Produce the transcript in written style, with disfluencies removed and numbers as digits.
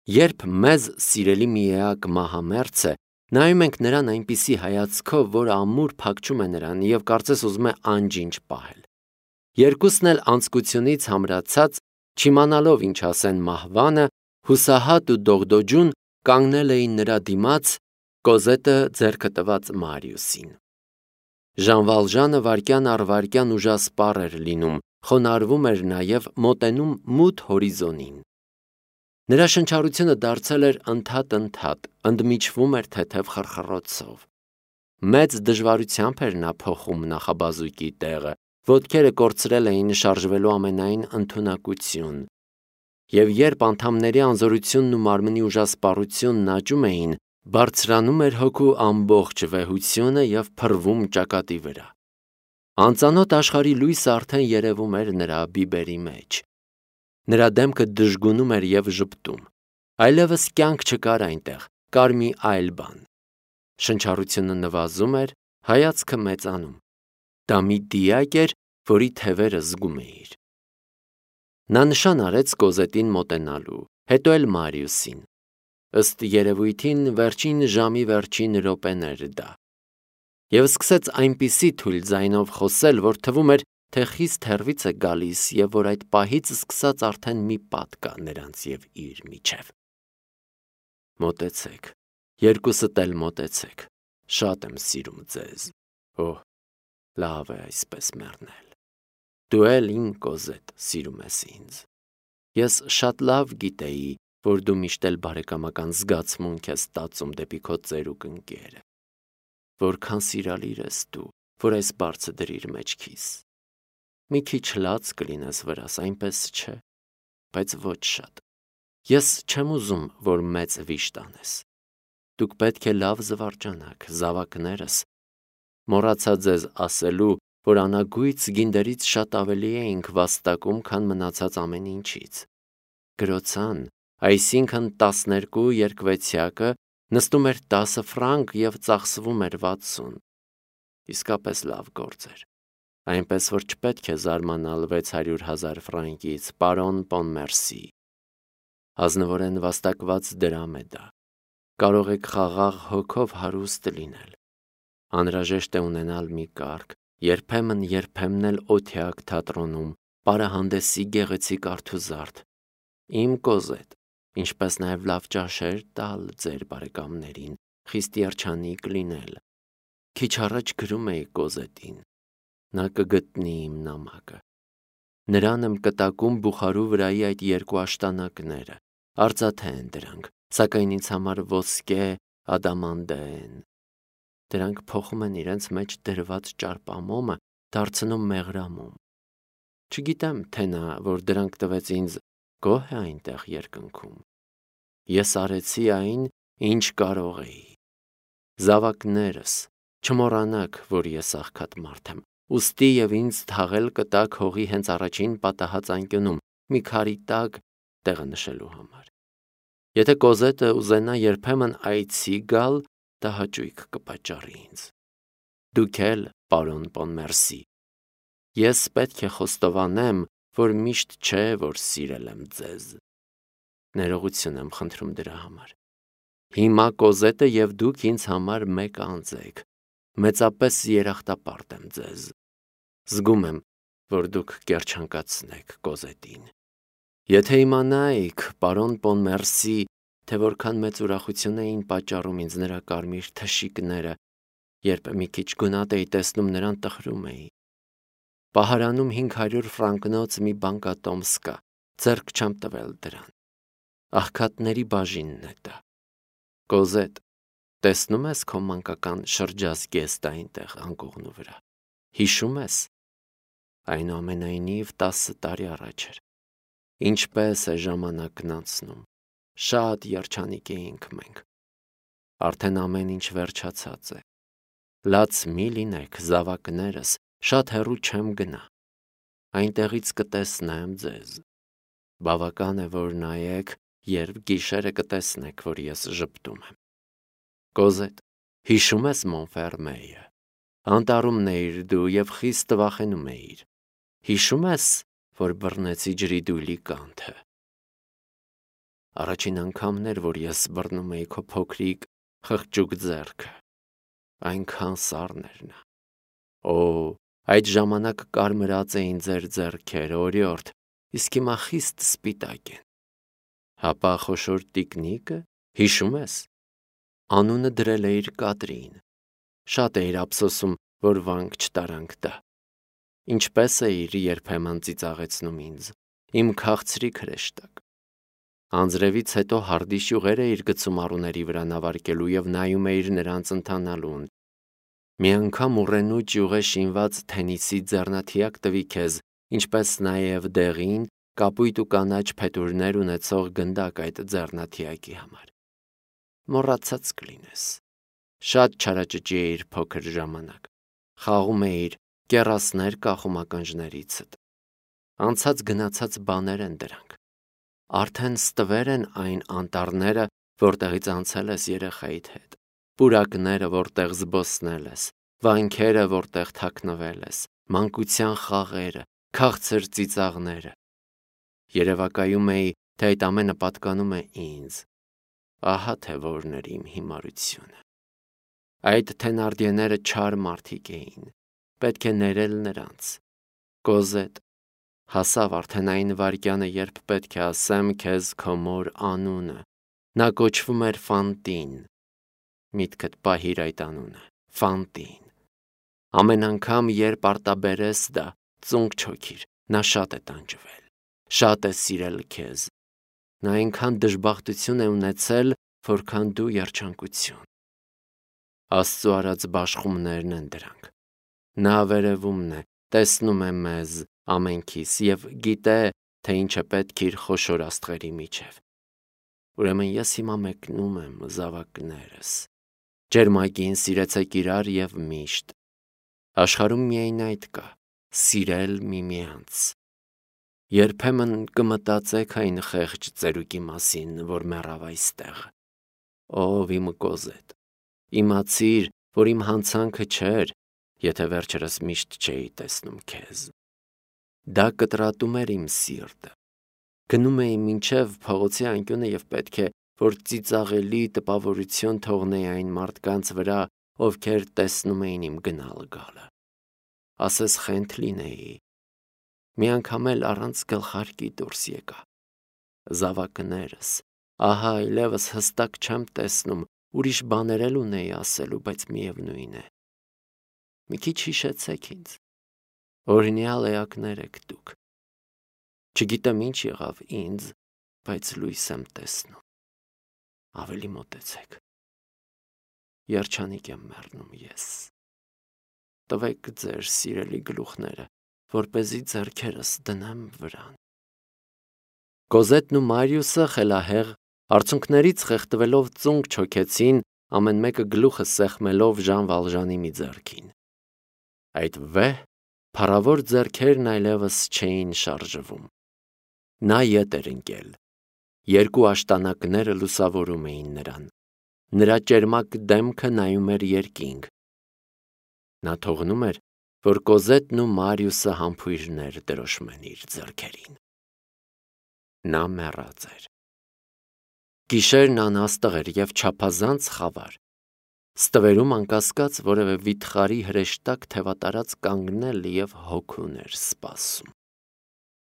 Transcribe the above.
Երբ մեզ սիրելի միակ մահամերձ է, նայում ենք նրան այնպիսի հայացքով, որ ամուր փակչում է նրան և կարծես ուզում է անջինջ պահել։ Երկուսն էլ անձկությունից համրացած, չիմանալով ինչ ասեն մահվանը, հուսահատ ու դողդոջուն կանգնել էին նրա դիմաց, Կոզետը ձեռքը տված Մարիուսին։ Ժան Վալժանը վայրկյան առ վայրկյան ուժասպառ էր լինում, խոնարհվում էր նաև մոտենում մութ հորիզոնին։ Նրա շնչառությունը դարձել էր ընդհատ, ընդմիջվում էր թեթև խռխռոցով։ Մեծ դժվարությամբ էր նա փոխում նախաբազուկի տեղը, ոտքերը կորցրել էին շարժվելու ամենայն ընդունակություն։ Եվ երբ անդամների անզորությունն ու մարմնի ուժասպառությունն աճում էին, բարձրանում էր հոգու ամբողջ վեհությունը և փռվում ճակատի վրա։ Անծանոթ աշխարհի լույսը արդեն երևում էր նրա բիբերի մեջ։ Նրա դեմքը դժգունում էր և ժպտում։ Այլևս կյանք չկար այնտեղ, կար մի այլ բան։ Շնչառությունը նվազում էր, հայացքը մեծանում։ Դա մի դիակ էր, որի թևերը զգում էիր։ Նա նշան արեց Կոզետին մոտենալու, հետո էլ Մարիուսին։ Ըստ երևույթին վերջին ժամի վերջին րոպեն էր դա։ Եվ սկսեց այնպիսի թույլ ձայնով խոսել, որ թվում էր, թե խիստ հեռվից է գալիս և որ այդ պահից սկսած արդեն մի պատ կա նրանց և իր միջև։ Մոտեցեք, երկուսդ էլ մոտեցեք, շատ եմ սիրում ձեզ։ Օհ, լավ է այսպես մեռնել։ Դու էլ իմ Կոզետ սիրում ես ինձ։ Ես շատ լավ գիտեի, որ դու միշտ էլ բարեկամական զգացմունք ես տածում դեպի քո ծերուկ ընկերը։ Որքան սիրալիր ես դու, որ այս բարձը դրիր մեջքիս։ Մի քիչ լաց կլինես վրաս, այնպես չէ, բայց ոչ շատ։ Ես չեմ ուզում, որ մեծ վիշտ անես։ Դուք պետք է լավ զվարճանաք, զավակներս։ Մոռացա ձեզ ասելու, որ անագույց գինդերից շատ ավելի էինք վաստակում, քան մնացած ամեն ինչից։ Գրոցան, այսինքն 12 երկվեցյակը նստում էր 10 ֆրանկ և ծախսվում էր 60։ Իսկապես լավ գործ էր։ Այնպես որ չպետք է զարմանալ 600,000 ֆրանկից, պարոն Պոնմերսի։ Ազնվորեն վաստակված դրամ է դա։ Կարող եք խաղաղ հոգով հարուստ լինել։ Անհրաժեշտ է ունենալ մի կարգ, երբեմն էլ օթյակ թատրոնում, պարահանդեսի գեղեցիկ արթուզարդ, իմ Կոզետ, ինչպես նաև լավ ճաշեր տալ ձեր բարեկամներին, խիստ երջանիկ լինել։ Քիչ առաջ գրում էի Կոզետին։ Նա կգտնի իմ նամակը։ Նրան եմ կտակում Բուխարու վրայի այդ երկու աշտանակները, արծաթե են դրանք, սակայն ինձ համար ոսկե ադամանդե են։ Դրանք փոխում են իրենց մեջ դրված ճարպամոմը, դարձնում մեղրամոմ։ Չգիտեմ, թե նա, որ դրանք տվեց ինձ, գոհ է այնտեղ երկնքում։ Ես արեցի այն, ինչ կարող էի։ Զավակներս, չմոռանաք, որ ես աղքատ մարդ եմ, ուստի և ինձ թաղել կտակ հողի հենց առաջին պատահած անկյունում, մի քարի տակ տեղը նշելու համար։ Եթե Կոզետը ուզենա երբեմն այցի գալ, դա հաճույք կպատճառի ինձ։ Դուք էլ, պարոն Պոնմերսի։ Ես պետք է խոստովանեմ, որ միշտ չէ, որ սիրել եմ ձեզ։ Ներողություն եմ խնդրում դրա համար։ Հիմա Կոզետը և դուք ինձ համար մեկ անձ եք։ Մեծապես երախտապարտ եմ ձեզ։ Զգում եմ, որ դուք կերջանկացնեք Կոզետին։ Եթե իմանայիք, պարոն Պոնմերսի, թե որքան մեծ ուրախություն էին պատճառում ինձ նրա կարմիր թշիկները, երբ մի քիչ գունատ էի տեսնում նրան տխրում էի։ Պահարանում 500 ֆրանկնոց մի բանկատոմս կա, ձեռք չեմ տվել դրան։ Աղքատների բաժինն է դա։ Կոզետ, տեսնում ես քո մանկական շրջազգեստը այնտեղ անկողնու վրա։ Հիշում ես։ Այնուամենայնիվ 10 տարի առաջ էր։ Ինչպես է ժամանակն անցնում։ Շատ երջանիկ էինք մենք։ Արդեն ամեն ինչ վերջացած է։ Լաց մի լինեք, զավակներս, շատ հեռու չեմ գնա։ Այնտեղից կտեսնեմ ձեզ։ Բավական է, որ նայեք, երբ գիշերը կտեսնեք, որ ես ժպտում եմ։ Կոզետ, հիշում ես Մոնֆերմեյը։ Անտառումն էիր դու և խիստ վախենում էիր։ Հիշում ես, որ բռնեցի ջրի դույլի կանթը։ Առաջին անգամն էր, որ ես բռնում էի քո փոքրիկ խղճուկ ձեռքը, այնքան սառն էր նա։ Օ, այդ ժամանակ կարմրած էին ձեր ձեռքերը, օրիորդ, իսկ հիմա խիստ սպիտակ են։ Հապա խոշոր տիկնիկը, հիշում ես, անունը դրել էիր Կատրին, շատ էիր ափսոսում, որ վանք չտարանք տա։ Ինչպես էիր երբեմն ծիծաղեցնում ինձ, իմ քաղցրիկ հրեշտակ։ Անձրևից հետո հարդի շյուղեր էիր գցում առուների վրա նավարկելու և նայում էիր նրանց ընթանալուն։ Մի անգամ ուռենու ճյուղե շինված թենիսի ձեռնաթիակ տվի քեզ, ինչպես նաև դեղին, կապույտ ու կանաչ փետուրներ ունեցող գնդակ այդ ձեռնաթիակի համար։ Մոռացած կլինես։ Շատ չարաճճի էիր փոքր ժամանակ։ Խաղում էիր, կեռասներ կախում ականջներիցդ։ Անցած գնացած բաներ են դրանք։ Արդեն ստվեր են այն անտառները, որտեղից անցել ես երեխայիդ հետ, պուրակները, որտեղ զբոսնել ես, վանքերը, որտեղ թաքնվել ես, մանկության խաղերը, քաղցր ծիծաղները։ Երևակայում էի, թե այդ ամենը պատկանում է ինձ։ Ահա թե որն էր իմ հիմարությունը։ Այդ թենարդիեները չար մարդիկ էին, պետք է ներել նրանց։ Կոզետ, հասավ արդեն այն վայրկյանը, երբ պետք է ասեմ քեզ քո մոր անունը։ Նա կոչվում էր Ֆանտին։ Միտքդ պահիր այդ անունը, Ֆանտին։ Ամեն անգամ, երբ արտաբերես դա, ծունկ չոքիր, նա շատ է տանջվել, շատ է սիրել քեզ։ Նա այնքան դժբախտություն է ունեցել, որքան դու երջանկություն։ Աստծու արած բաշխումներն են դրանք։ Նա վերևումն է, տեսնում է մեզ ամենքիս և գիտե, թե ինչ է պետք իր խոշոր աստղերի միջև։ Ուրեմն ես հիմա մեկնում եմ, զավակներս։ Ջերմագին սիրեցեք իրար և միշտ։ Աշխարհում միայն այդ կա՝ սիրել միմյանց։ Երբեմն կմտածեք այն խեղճ ծերուկի մասին, որ մեռավ այստեղ։ Ով իմ Կոզետ, իմացիր, որ իմ հանցանքը չէր, եթե վերջերս միշտ չէի տեսնում քեզ։ Դա կտրատում էր իմ սիրտը։ Գնում էի մինչև փողոցի անկյունը և պետք է, որ ծիծաղելի տպավորություն թողնեի այն մարդկանց վրա, ովքեր տեսնում էին իմ գնալ գալը։ Ասես խենթ լինեի։ Մի անգամ էլ առանց գլխարկի դուրս եկա։ Զավակներս, ահա այլևս հստակ չեմ տեսնում, ուրիշ բաներ էլ ունեի ասելու, բայց միևնույն է։ Մի քիչ հիշեցեք ինձ։ Օրինյալ էակներ եք դուք։ Չգիտեմ ինչ եղավ ինձ, բայց լույս եմ տեսնում։ Ավելի մոտեցեք։ Երջանիկ եմ մեռնում ես։ Տվեք ձեր սիրելի գլուխները, որպեսզի ձեռքերս դնեմ վրան։ Կոզետն ու Մարիուսը խելահեղ, արցունքներից խեղդվելով ծունկ չոքեցին, ամեն մեկը գլուխը սեղմելով Ժան Վալժանի մի ձեռքին։ Այդ վեհ, փառավոր ձեռքերն այլևս չէին շարժվում։ Նա ետ էր ընկել։ Երկու աշտանակները լուսավորում էին նրան։ Նրա ճերմակ դեմքը նայում էր երկինք։ Նա թողնում էր, որ Կոզետն ու Մարիուսը համբույրներ դրոշմեն իր ձեռքերին։ Նա մեռած էր։ Գիշերն անաստղ էր և չափազանց խավար։ Ստվերում անկասկած որևէ վիթխարի հրեշտակ թևատարած կանգնել և հոգուն էր սպասում։